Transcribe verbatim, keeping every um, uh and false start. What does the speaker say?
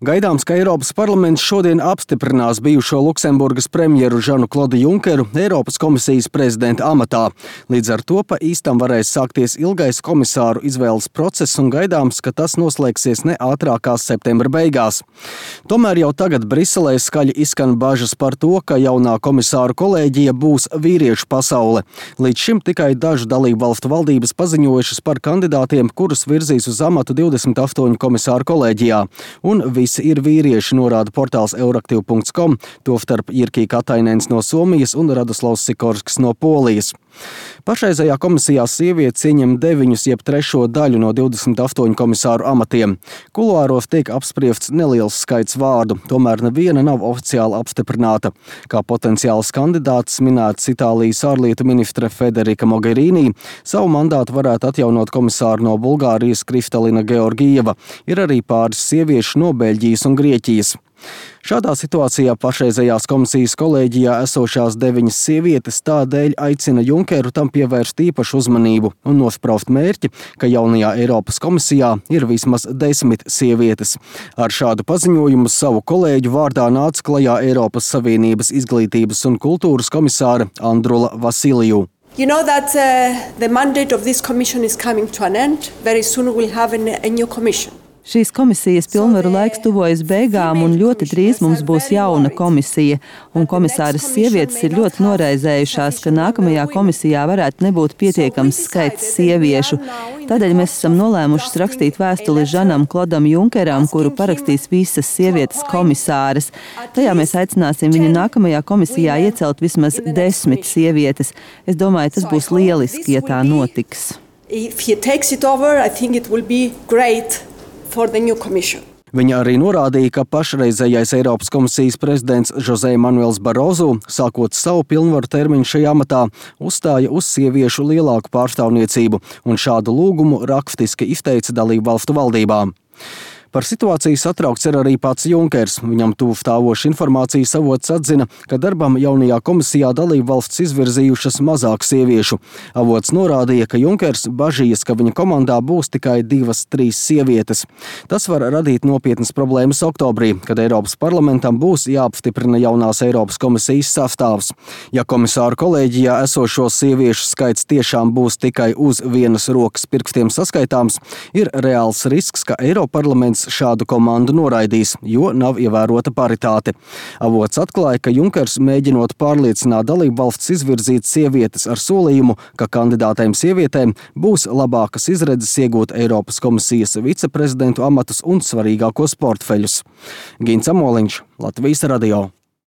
Gaidāms, ka Eiropas parlaments šodien apstiprinās bijušo Luksemburgas premjeru Žanu-Klodu Junkeru Eiropas komisijas prezidenta amatā. Līdz ar to pa īstam varēs sākties ilgais komisāru izvēles process un gaidāms, ka tas noslēgsies ne ātrākās septembra beigās. Tomēr jau tagad Briselē skaļi izskan bažas par to, ka jaunā komisāru kolēģija būs vīriešu pasaule. Līdz šim tikai dažu dalību valstu valdības paziņojušas par kandidātiem, kurus virzīs uz amatu divdesmit astoņu komisāru kolēģijā. Un visi ir vīrieši, norāda portāls euraktiv punkts com, tostarp Jirkī Katainens no Somijas un Radoslavs Sikorsks no Polijas. Pašreizējā komisijā sievietes ieņem deviņus jeb trešo daļu no divdesmit astoņu komisāru amatiem. Kuluāros tiek apspriests neliels skaits vārdu, tomēr neviena nav oficiāli apstiprināta. Kā potenciāls kandidāts minēts Itālijas ārlietu ministre Federika Mogherini, savu mandātu varētu atjaunot komisāru no Bulgārijas Kristalina Georgieva. Ir arī pāris sieviešu no Beļģijas un Grieķijas. Šādā situācijā pašreizējās komisijas kolēģijā esošās deviņas sievietes tādēļ aicina Junkeru tam pievērst īpašu uzmanību un nospraust mērķi, ka jaunajā Eiropas komisijā ir vismaz desmit sievietes. Ar šādu paziņojumu savu kolēģu vārdā nāca klajā Eiropas Savienības izglītības un kultūras komisāre Andrula Vasiliju. You know that uh, the mandate of this commission is coming to an end. Very soon we'll have a, a new commission. Šīs komisijas pilnvaru laiks tuvojas beigām un ļoti drīz mums būs jauna komisija. Un komisāras sievietes ir ļoti noraizējušās, ka nākamajā komisijā varētu nebūt pietiekams skaits sieviešu. Tādēļ mēs esam nolēmušas rakstīt vēstuli Žanam Klodam Junkeram, kuru parakstīs visas sievietes komisāras. Tajā mēs aicināsim viņu nākamajā komisijā iecelt vismaz desmit sievietes. Es domāju, tas būs lieliski, ja tā notiks. If he takes it over, I think it will be great. Viņa arī norādīja, ka pašreizējais Eiropas komisijas prezidents José Manuels Barroso, sākot savu pilnvaru termiņu šajā amatā, uzstāja uz sieviešu lielāku pārstāvniecību un šādu lūgumu rakstiski izteica dalību valstu valdībām. Par situāciju satraukts ir arī pats Junkers. Viņam tuvu stāvoša informācijas avots atzina, ka darbam jaunajā komisijā dalību valsts izvirzījušas mazāk sieviešu. Avots norādīja, ka Junkers bažījas, ka viņa komandā būs tikai divas, trīs sievietes. Tas var radīt nopietnas problēmas oktobrī, kad Eiropas parlamentam būs jāapstiprina jaunās Eiropas komisijas sastāvs. Ja komisāru kolēģijā esošo sieviešu skaits tiešām būs tikai uz vienas rokas pirkstiem saskaitāms, ir reāls risks, ka Eiroparlaments šādu komandu noraidīs, jo nav ievērota paritāte. Avots atklāja, ka Junkers mēģinot pārliecināt dalību valsts izvirzīt sievietes ar solījumu, ka kandidātēm sievietēm būs labākas izredzes iegūt Eiropas komisijas viceprezidentu amatus un svarīgākos portfeļus. Gins Amoliņš, Latvijas radio.